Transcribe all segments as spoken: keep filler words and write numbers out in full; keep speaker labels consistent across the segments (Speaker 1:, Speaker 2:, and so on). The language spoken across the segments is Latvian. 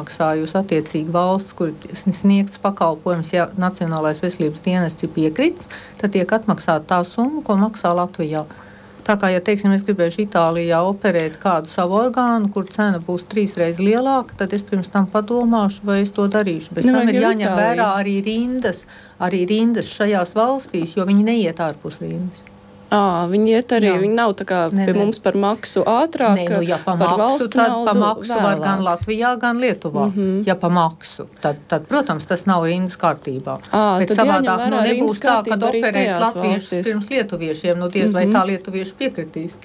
Speaker 1: samaksājusi attiecīgi valsts, kur sniegts pakalpojums, ja Nacionālais veselības dienests ir piekritis, tad tiek atmaksāta tā summa, ko maksā Latvijā. Tā kā, ja, teiksim, es gribēšu Itālijā operēt kādu savu orgānu, kur cena būs trīsreiz lielāka, tad es pirms tam padomāšu, vai es to darīšu. Bez tam ir jāņem vērā arī rindas, arī rindas šajās valstīs, jo viņi neiet ārpus rindas.
Speaker 2: À, viņi iet arī, jā. Viņi nav tā kā ne, pie ne. Mums par maksu ātrāk,
Speaker 1: ne, nu, ja pa
Speaker 2: par
Speaker 1: maksu,
Speaker 2: valsts
Speaker 1: tad
Speaker 2: naudu
Speaker 1: pa maksu
Speaker 2: vēlāk.
Speaker 1: Var gan Latvijā, gan Lietuvā. Mm-hmm. Ja pa maksu, tad, tad, protams, tas nav rindas kārtībā.
Speaker 2: À,
Speaker 1: bet savādāk, nu, nebūs tā, kad operēs latviešus pirms lietuviešiem, nu, diez vai mm-hmm. tā lietuvieši piekritīs.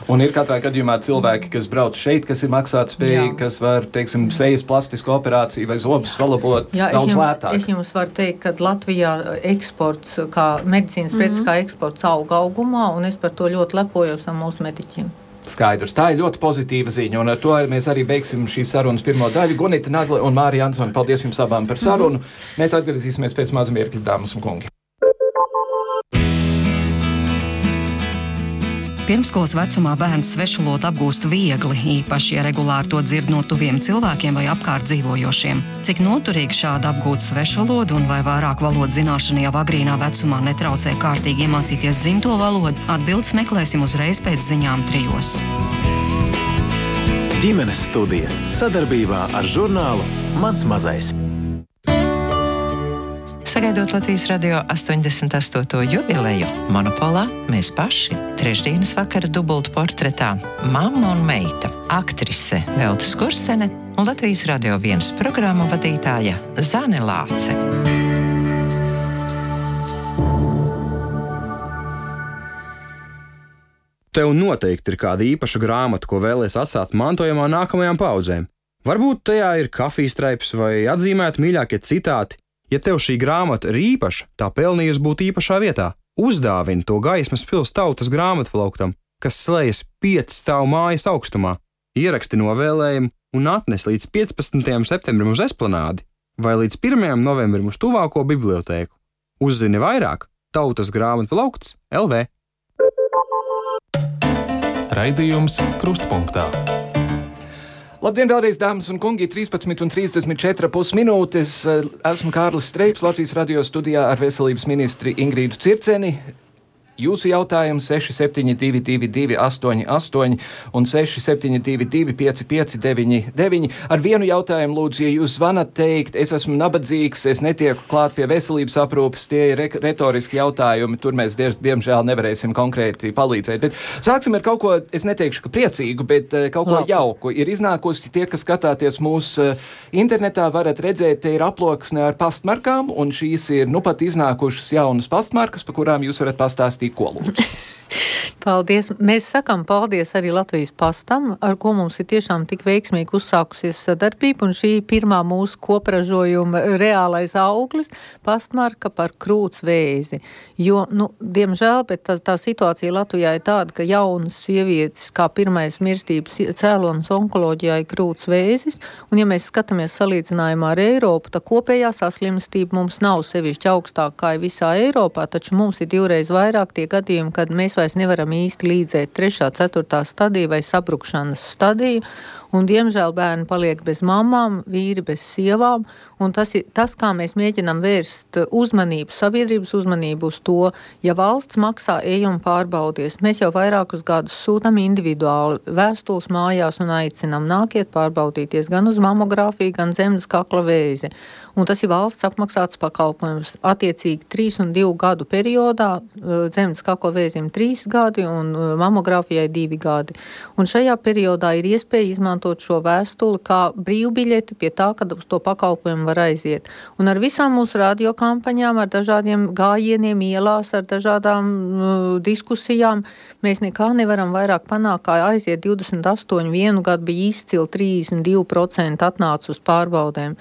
Speaker 3: Un ir katrā gadījumā cilvēki, kas brauc šeit, kas ir maksātspējīgi, kas var, teiksim, sejas plastisku operāciju vai zobus salabot
Speaker 1: Jā,
Speaker 3: daudz
Speaker 1: es jums,
Speaker 3: lētāk.
Speaker 1: Es jums varu teikt, ka Latvijā eksports, kā medicīnas mm-hmm. preces, kā eksports auga augumā, un es par to ļoti lepojos ar mūsu mediķiem.
Speaker 3: Skaidrs. Tā ir ļoti pozitīva ziņa, un ar to mēs arī beigsim šīs sarunas pirmo daļu. Gunita Nagle un Mārija Ansone, paldies jums abām par sarunu. Mm-hmm. Mēs atgriezīsimies pēc maza mirkļa, dāmas un kungi.
Speaker 4: Pirmskolas vecumā bērns svešvalodu apgūst viegli, īpaši, ja regulāri to dzird no tuviem cilvēkiem vai apkārt dzīvojošiem. Cik noturīgi šāda apgūt svešvalodu un vai vairāk valodu zināšana jau agrīnā vecumā netraucē kārtīgi iemācīties dzimto valodu, atbildes meklēsim uzreiz pēc ziņām trijos.
Speaker 5: Ģimenes studija sadarbībā ar žurnālu Mans mazais.
Speaker 6: Sagaidot Latvijas radio astoņdesmit astoto jubileju, Monopolā mēs paši trešdienas vakara dubultu portretā mamma un meita, aktrise Velta Skurstene un Latvijas radio vienas programmu vadītāja Zane Lāce.
Speaker 7: Tev noteikti ir kāda īpaša grāmata, ko vēlies atstāt mantojumā nākamajām paudzēm. Varbūt tajā ir kafijstraips vai atzīmēti mīļākie citāti. Ja tev šī grāmata ir īpaša, tā pelnījusi būt īpašā vietā. Uzdāvini to Gaismas pils tautas grāmatplauktam, kas slējas pieci stāvu mājas augstumā. Ieraksti novēlējumu un atnes līdz piecpadsmitajam septembrim uz Esplanādi vai līdz pirmajam novembrim uz tuvāko bibliotēku. Uzzini vairāk Tautas grāmatplaukts L V.
Speaker 8: Raidījums Krustpunktā.
Speaker 3: Labdien, vēlreiz, dāmas un kungi, trīspadsmit un trīsdesmit četras pusminūtes. Esmu Kārlis Streips, Latvijas radio studijā ar veselības ministri Ingrīdu Circeni. Jūsu jautājums seši septiņi divi divi divi astoņi astoņi un seši septiņi divi divi pieci pieci deviņi deviņi. Ar vienu jautājumu lūdzu, ja jūs zvanat teikt, es esmu nabadzīgs, es netieku klāt pie veselības aprūpes, tie ir re- retoriski jautājumi, tur mēs die- diemžēl nevarēsim konkrēti palīdzēt. Bet sāksim ar kaut ko, es neteikšu, ka priecīgu, bet uh, kaut ko
Speaker 1: Labi.
Speaker 3: jauku. Ir iznākusi tie, kas skatāties mūsu uh, internetā, varat redzēt, te ir aploksne ar pastmarkām, un šīs ir nu pat iznākušas jaunas pastmarkas, pa kurām jūs varat pastāstīt, ko lūdzu.
Speaker 1: Paldies. Mēs sakam paldies arī Latvijas pastam, ar ko mums ir tiešām tik veiksmīgi uzsākusies sadarbība, un šī pirmā mūsu kopražojuma reālais auglis - pastmarka par krūts vēzi. Jo, nu, diemžēl, bet tā, tā situācija Latvijā ir tāda, ka jaunas sievietes kā pirmais mirstības cēlonis onkoloģijā ir krūts vēzis, un ja mēs skatāmies salīdzinājumā ar Eiropu, tā kopējā saslimstība mums nav sevišķi augstāka kā visā Eiropā, taču mums ir divreiz vairāk tie gadījumi, kad mēs vairs nevaram īsti līdzēt trešā, ceturtā stadija vai sabrukšanas stadiju, un diemžēl bērni paliek bez mamām, vīri bez sievām, un tas ir tas, kā mēs mēģinām vērst uzmanību, sabiedrības uzmanību uz to, ja valsts maksā ejam pārbaudies. Mēs jau vairākus gadus sūtam individuāli vēstules mājās un aicinām nākiet pārbaudīties gan uz mamogrāfiju, gan zemes kakla vēzi. Un tas ir valsts apmaksāts pakalpojums. Attiecīgi trīs un divu gadu periodā zemes kakla vēzim trīs gadi un mamogrāfijai divi gadi. Un šajā periodā ir iespēja izmantot šo vēstuli kā brīvbiļeti pie tā, kad uz to pakalpojumu var aiziet. Un ar visām mūsu radiokampaņām, ar dažādiem gājieniem ielās, ar dažādām uh, diskusijām, mēs nekā nevaram vairāk panākt, kā aiziet divdesmit astoņi, vienu gadu bija izcili trīsdesmit divi procenti atnāca uz pārbaudēm.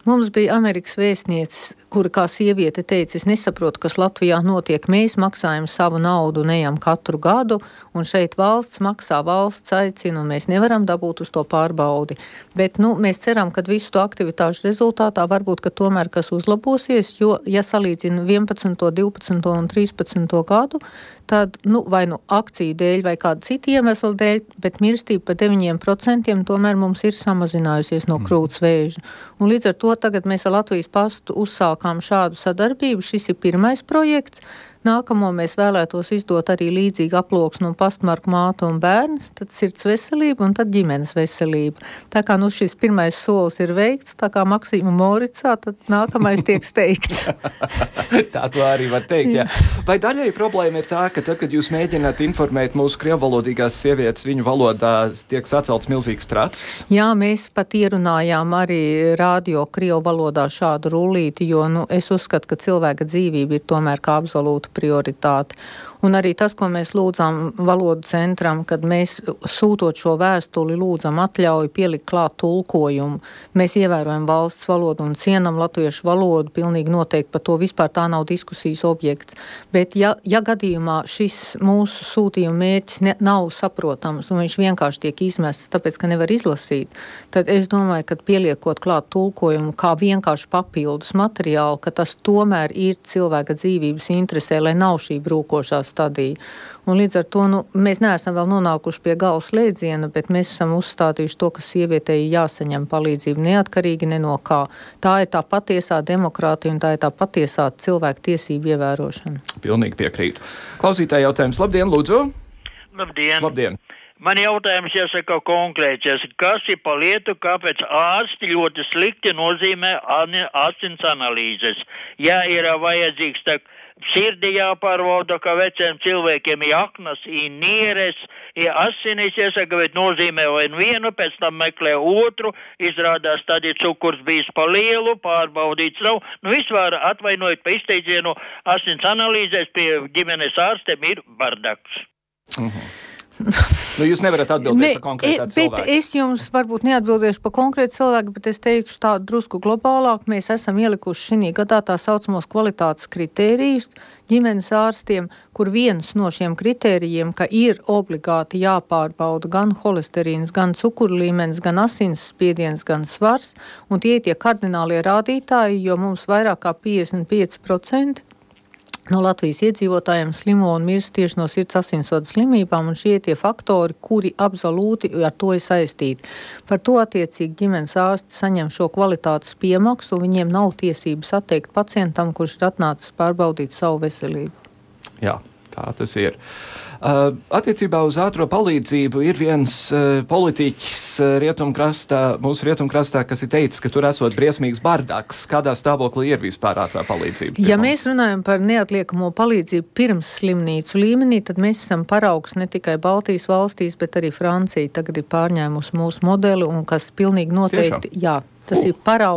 Speaker 1: Mums bija Amerikas vēstnieces, kura kā sieviete teica, es nesaprotu, kas Latvijā notiek. Mēs maksājam savu naudu, neejam katru gadu, un šeit valsts maksā, valsts aicina, un mēs nevaram dabūt uz to pārbaudi. Bet, nu, mēs ceram, ka visu to aktivitāšu rezultātā varbūt, ka tomēr kas uzlabosies, jo, ja salīdzina vienpadsmito, divpadsmito un trīspadsmito gadu, tad, nu, vai nu akciju dēļ, vai kādu citu iemeslu dēļ, bet mirstība pa deviņiem procentiem tomēr mums ir samazinājusies no krūts vēža. Un līdz ar to tagad mēs ar Latvijas pastu uzsākām šādu sadarbību. Šis ir pirmais projekts. Nākamo mēs vēlētos izdot arī līdzīgi aploksnu un pastmarku mātu un bērns, tad sirds veselība un tad ģimenes veselība. Tā kā nu šis pirmais solis ir veikts, tā kā Maksīma Moricā, tad nākamais tiek steigts.
Speaker 3: Tā to arī var teikt, jā. Vai daļai problēma ir tā, ka tad, kad jūs mēģināt informēt mūsu krievvalodīgās sievietes, viņu valodā tiek sacelts milzīgs tracis?
Speaker 1: Jā, mēs pat ierunājām arī radio krievu valodā šādu rullīti, jo nu, es uzskatu, ka cilvēka dzīvība ir tomēr kā absolūta prioritāte. Un arī tas, ko mēs lūdzām valodu centram, kad mēs sūtot šo vēstuli lūdzam atļauju pielikt klāt tulkojumu. Mēs ievērojam valsts valodu un cienam latviešu valodu, pilnīgi noteikti par to vispār tā nav diskusijas objekts. Bet ja, ja gadījumā šis mūsu sūtījuma mērķis ne, nav saprotams un viņš vienkārši tiek izmests, tāpēc, ka nevar izlasīt, tad es domāju, ka pieliekot klāt tulkojumu kā vienkārši papildus materiālu, ka tas tomēr ir cilvēka dzīvības interesē, lai nav šī brūkošā stadija. Un līdz ar to nu, mēs neesam vēl nonākuši pie gala slēdziena, bet mēs esam uzstādījuši to, ka sievietei jāsaņem palīdzību neatkarīgi ne no kā. Tā ir tā patiesā demokrātija un tā ir tā patiesā cilvēku tiesību ievērošana.
Speaker 3: Pilnīgi piekrītu. Klausītāji jautājums. Labdien, lūdzu!
Speaker 9: Labdien!
Speaker 3: Labdien!
Speaker 9: Man jautājums jāsaka konkrēts, kas ir pa lietu, kāpēc ārsti ļoti slikti nozīmē asins analīzes. Ja ir vajadzīgs tā sirdi jāpārvalda, ka veciem cilvēkiem ir aknas, ir nieres, ir asinis, jāsaka, bet nozīmē vienu, pēc tam meklē otru, izrādās tad ir cukurs bijis pa lielu, pārbaudīts nav. Nu, vispār atvainojot pa izteidzienu, asins analīzēs pie ģimenes ārstiem ir bardaks.
Speaker 3: Mhm. Nu, jūs nevarat atbildēt ne, par konkrētā cilvēku.
Speaker 1: Bet es jums varbūt neatbildēšu par konkrētu cilvēku, bet es teikšu tā drusku globālāk. Mēs esam ielikuši šī gadā tā saucamos kvalitātes kritērijus ģimenes ārstiem, kur viens no šiem kritērijiem, ka ir obligāti jāpārbauda gan holesterīns, gan cukuru līmenis, gan asins spiediens, gan svars, un tie ir tie kardinālie rādītāji, jo mums vairāk kā piecdesmit pieci procenti no Latvijas iedzīvotājiem slimo un mirst tieši no sirds asinsvadu slimībām, un šie tie faktori, kuri absolūti ar to ir saistīti. Par to attiecīgi ģimenes ārsti saņem šo kvalitātes piemaksu, un viņiem nav tiesības atteikt pacientam, kurš ir atnācis pārbaudīt savu veselību.
Speaker 3: Jā, tā tas ir. Uh, attiecībā uz ātro palīdzību ir viens uh, politiķis uh, rietumkrastā, mūsu rietumkrastā, kas ir teicis, ka tur esot briesmīgs bardaks. Kādā stāvoklī ir vispār ātrā palīdzība?
Speaker 1: Ja mēs runājam par neatliekamo palīdzību pirms slimnīcu līmenī, tad mēs esam paraugs ne tikai Baltijas valstīs, bet arī Francija tagad ir pārņēmusi mūsu modeli, un kas pilnīgi noteikti,
Speaker 3: Tiešām?
Speaker 1: jā, tas uh. ir paraugs.